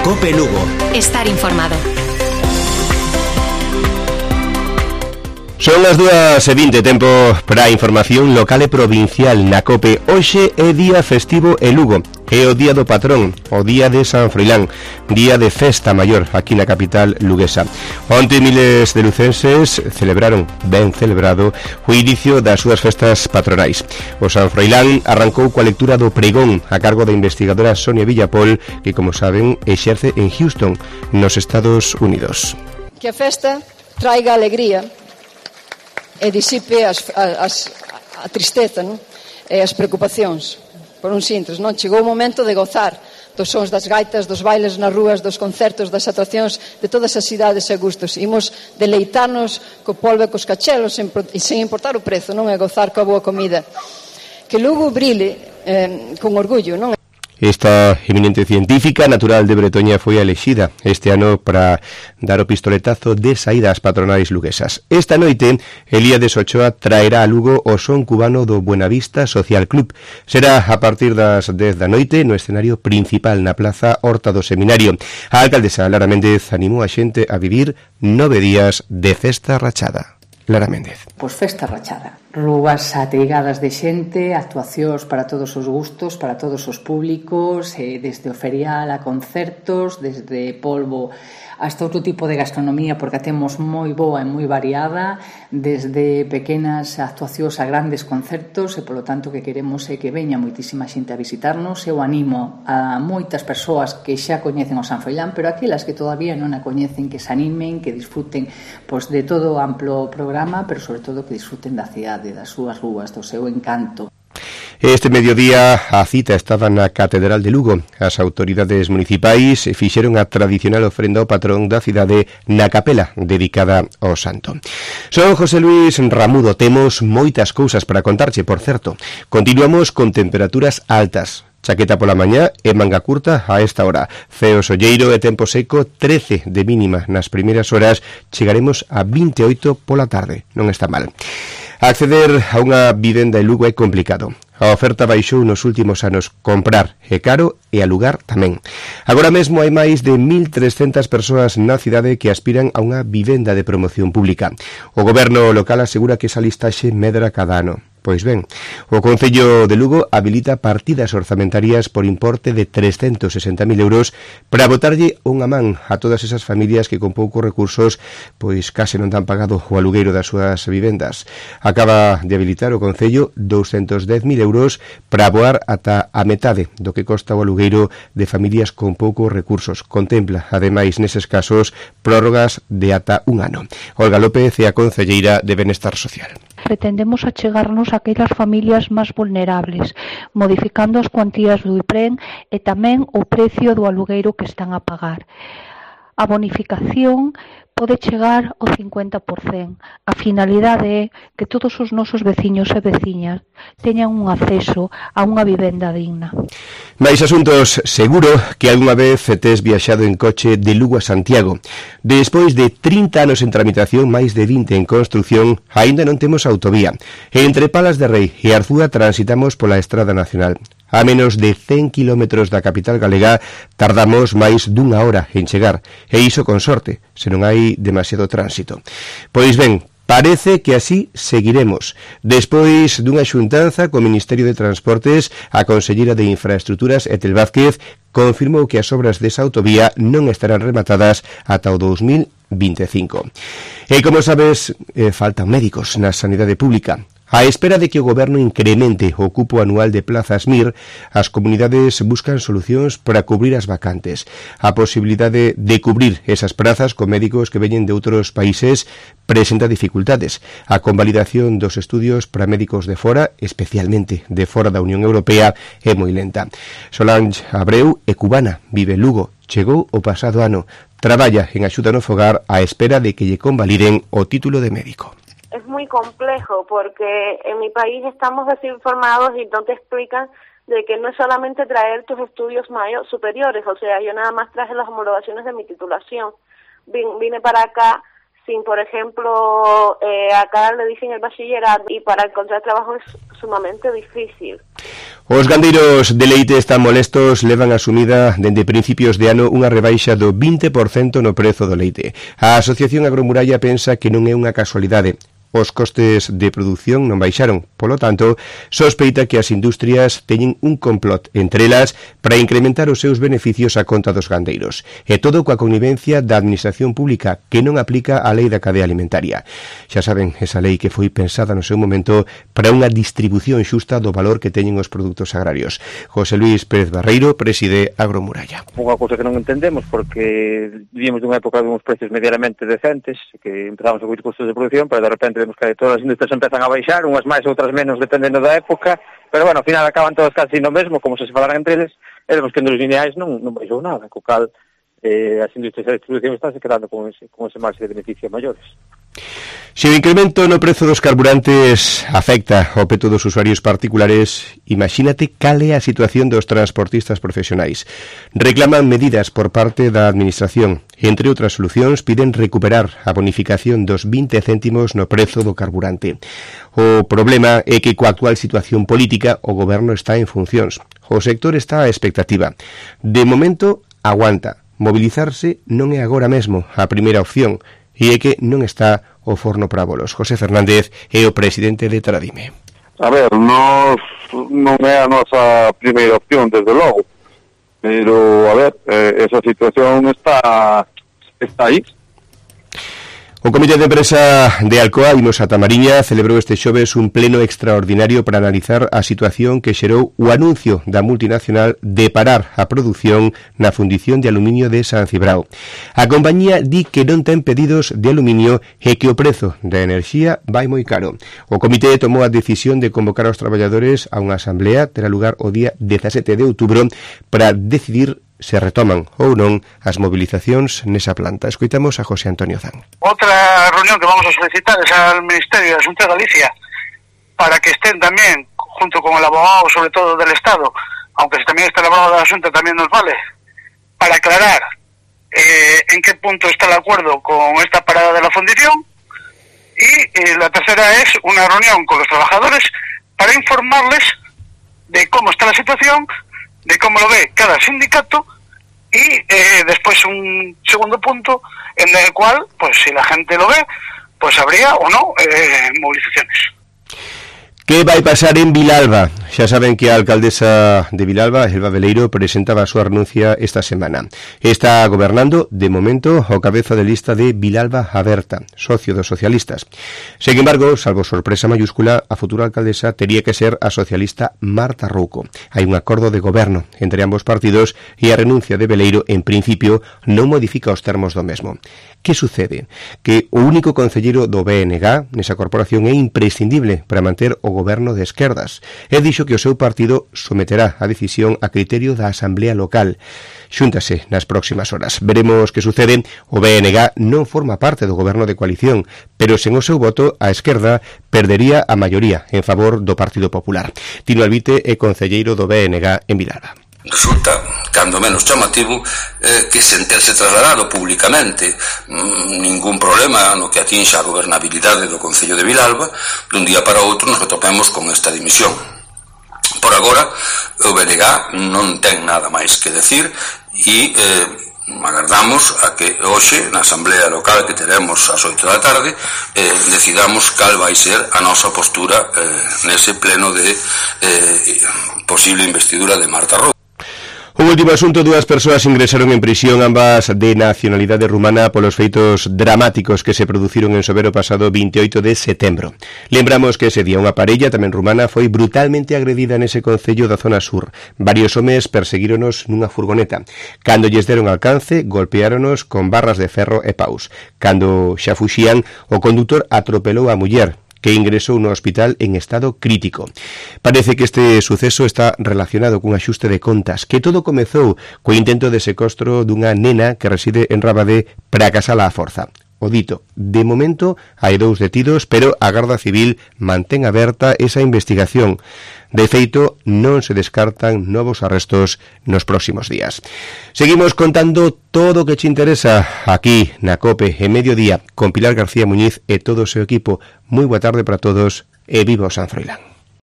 COPE Lugo. Estar informado. Son as 2:20, tempo para a información local e provincial na COPE. Hoxe é día festivo en Lugo. É o día do patrón, o día de San Froilán, día de festa maior aquí na capital luguesa. Onte miles de lucenses celebraron, ben celebrado, o inicio das súas festas patronais. O San Froilán arrancou coa lectura do pregón a cargo da investigadora Sonia Villapol, que, como saben, exerce en Houston, nos Estados Unidos. Que a festa traiga alegría e disipe a tristeza, non? E as preocupacións. Por uns intres, non? Chegou o momento de gozar dos sons das gaitas, dos bailes nas rúas, dos concertos, das atraccións de todas as idades e gustos. Imos deleitarnos co polvo e cos cachelos sen importar o prezo, non? E gozar coa boa comida. Que Lugo brile con orgullo, non? Esta eminente científica natural de Bretoña foi elexida este ano para dar o pistoletazo de saída ás patronais luguesas. Esta noite, Elíades Ochoa traerá a Lugo o son cubano do Buenavista Social Club. Será a partir das 10 da noite no escenario principal na Plaza Horta do Seminario. A alcaldesa Lara Méndez animou a xente a vivir 9 días de festa rachada. Lara Méndez. Pois festa rachada. Rúas ateigadas de xente, actuacións para todos os gustos, para todos os públicos, desde o ferial a concertos, desde polvo hasta outro tipo de gastronomía, porque a temos moi boa e moi variada, desde pequenas actuacións a grandes concertos, e polo tanto que queremos é que veña moitísima xente a visitarnos. Eu animo a moitas persoas que xa coñecen o San Froilán, pero aquelas que todavía non a coñecen, que se animen, que disfruten pois de todo o amplo programa, pero sobre todo que disfruten da cidade, das súas rúas, do seu encanto. Este mediodía a cita estaba na Catedral de Lugo. As autoridades municipais fixeron a tradicional ofrenda ao patrón da cidade na capela dedicada ao santo. Son José Luis Ramudo, temos moitas cousas para contarche, por certo. Continuamos con temperaturas altas. Chaqueta pola mañá e manga curta a esta hora. Ceo solleiro e tempo seco, 13 de mínima nas primeiras horas. Chegaremos a 28 pola tarde. Non está mal. Acceder a unha vivenda en Lugo é complicado. A oferta baixou nos últimos anos. Comprar é caro e alugar tamén. Agora mesmo hai máis de 1.300 persoas na cidade que aspiran a unha vivenda de promoción pública. O goberno local asegura que esa listaxe medra cada ano. Pois ben, o Concello de Lugo habilita partidas orzamentarias por importe de 360.000 euros para botarlle unha man a todas esas familias que con poucos recursos pois case non dan pagado o alugueiro das súas vivendas. Acaba de habilitar o Concello 210.000 euros para aboar ata a metade do que costa o alugueiro de familias con poucos recursos. Contempla, ademais, neses casos, prórrogas de ata un ano. Olga López é a concelleira de Benestar Social. Pretendemos achegarnos a aquelas familias máis vulnerables, modificando as cuantías do IPREN e tamén o precio do alugueiro que están a pagar. A bonificación pode chegar ao 50%. A finalidade é que todos os nosos veciños e veciñas teñan un acceso a unha vivenda digna. Mais asuntos, seguro que algunha vez tes viaxado en coche de Lugo a Santiago. Despois de 30 anos en tramitación, máis de 20 en construción, aínda non temos autovía. Entre Palas de Rei e Arzúa transitamos pola Estrada Nacional. A menos de 100 kilómetros da capital galega tardamos máis dunha hora en chegar, e iso con sorte, se non hai demasiado tránsito. Pois ben, parece que así seguiremos. Despois dunha xuntanza co Ministerio de Transportes, a conselleira de Infraestructuras, Etel Vázquez, confirmou que as obras desa autovía non estarán rematadas ata o 2025. E como sabes, faltan médicos na sanidade pública. A espera de que o goberno incremente o cupo anual de plazas MIR, as comunidades buscan solucións para cubrir as vacantes. A posibilidade de cubrir esas prazas con médicos que veñen de outros países presenta dificultades. A convalidación dos estudios para médicos de fora, especialmente de fora da Unión Europea, é moi lenta. Solange Abreu é cubana, vive en Lugo. Chegou o pasado ano. Traballa en axuda no fogar á espera de que lle convaliden o título de médico. Es muy complejo porque en mi país estamos desinformados y no te explican de que no es solamente traer tus estudios superiores, o sea, yo nada más traje las homologaciones de mi titulación. Vine para acá sin, por ejemplo, acá le dicen el bachillerato y para encontrar trabajo es sumamente difícil. Os gandeiros de leite están molestos, levan asumida dende principios de ano unha rebaixa do 20% no prezo do leite. A Asociación Agromuralla pensa que non é unha casualidade. Os costes de produción non baixaron, polo tanto, sospeita que as industrias teñen un complot entre elas para incrementar os seus beneficios a conta dos gandeiros. E todo coa connivencia da administración pública que non aplica a lei da cadea alimentaria. Xa saben, esa lei que foi pensada no seu momento para unha distribución xusta do valor que teñen os produtos agrarios. José Luis Pérez Barreiro preside Agromuralla. Unha cousa que non entendemos porque vivimos dunha época de uns precios medianamente decentes, que empezamos a coir costos de producción, pero de repente vemos que todas as industrias empezan a baixar, unhas máis, outras menos, dependendo da época, pero bueno, ao final acaban todas casi no mesmo, como se falaran entre eles, e vemos que nos lineais non baixou nada, co cal as industrias de distribución están se quedando con ese marxe de beneficio maiores. Se o incremento no prezo dos carburantes afecta ao peto dos usuarios particulares, imagínate cal é a situación dos transportistas profesionais. Reclaman medidas por parte da Administración. Entre outras solucións, piden recuperar a bonificación dos 20 céntimos no prezo do carburante. O problema é que coa actual situación política o goberno está en funcións. O sector está á expectativa. De momento, aguanta. Mobilizarse non é agora mesmo a primeira opción, e é que non está o forno para bolos. José Fernández é o presidente de Tradime. A ver, non é a nosa primeira opción, desde logo, pero, a ver, esa situación está aí. O Comité de Empresa de Alcoa, Imos a Tamariña, celebrou este xoves un pleno extraordinario para analizar a situación que xerou o anuncio da multinacional de parar a produción na fundición de aluminio de San Cibrao. A compañía di que non ten pedidos de aluminio e que o prezo da enerxía vai moi caro. O comité tomou a decisión de convocar aos traballadores a unha asamblea, terá lugar o día 17 de outubro, para decidir se retoman ou non as movilizacións nesa planta. Escoitamos a José Antonio Zan. Outra reunión que vamos a solicitar es al Ministerio de Asuntos de Galicia para que estén también, junto con el abogado sobre todo del Estado, aunque también está el abogado del asunto también nos vale, para aclarar en qué punto está el acuerdo con esta parada de la fundición. Y la tercera es una reunión con los trabajadores para informarles de cómo está la situación, de cómo lo ve cada sindicato y después un segundo punto en el cual, pues si la gente lo ve, pues habría o no movilizaciones. Que vai pasar en Vilalba? Xa saben que a alcaldesa de Vilalba, Elba Veleiro, presentaba a súa renuncia esta semana. Está gobernando, de momento, ao cabeza de lista de Vilalba Aberta, socio dos socialistas. Sen embargo, salvo sorpresa mayúscula, a futura alcaldesa tería que ser a socialista Marta Rouco. Hai un acordo de goberno entre ambos partidos e a renuncia de Veleiro, en principio, non modifica os termos do mesmo. Que sucede? Que o único concelleiro do BNG nesa corporación é imprescindible para manter o goberno de esquerdas. E dixo que o seu partido someterá a decisión a criterio da Asamblea Local. Xúntase nas próximas horas. Veremos que sucede. O BNG non forma parte do goberno de coalición, pero sen o seu voto a esquerda perdería a maioría en favor do Partido Popular. Tino Albite é concelleiro do BNG en Vilalba. Resulta, cando menos chamativo, que sen terse trasladado públicamente ningún problema no que atinxa a gobernabilidade do Concello de Vilalba, dun día para outro nos atopemos con esta dimisión. Por agora, o BNG non ten nada máis que decir e agardamos a que hoxe, na Asamblea Local que teremos ás 8 da tarde, decidamos cal vai ser a nosa postura nese pleno de posible investidura de Marta Rouco. Un último asunto, dúas persoas ingresaron en prisión, ambas de nacionalidade rumana, polos feitos dramáticos que se produciron en Sobero pasado 28 de setembro. Lembramos que ese día unha parella, tamén rumana, foi brutalmente agredida nese concello da zona sur. Varios homes perseguíronos nunha furgoneta. Cando lles deron alcance, golpeáronos con barras de ferro e paus. Cando xa fuxían, o condutor atropelou a muller, que ingresou no hospital en estado crítico. Parece que este suceso está relacionado cun axuste de contas, que todo comezou co intento de secuestro dunha nena que reside en Rabadé para casala á forza. O dito, de momento hai 2 detidos, pero a Garda Civil mantén aberta esa investigación. De feito, non se descartan novos arrestos nos próximos días. Seguimos contando todo o que te interesa aquí na COPE en Mediodía con Pilar García Muñiz e todo o seu equipo. Moi boa tarde para todos e viva o San Froilán.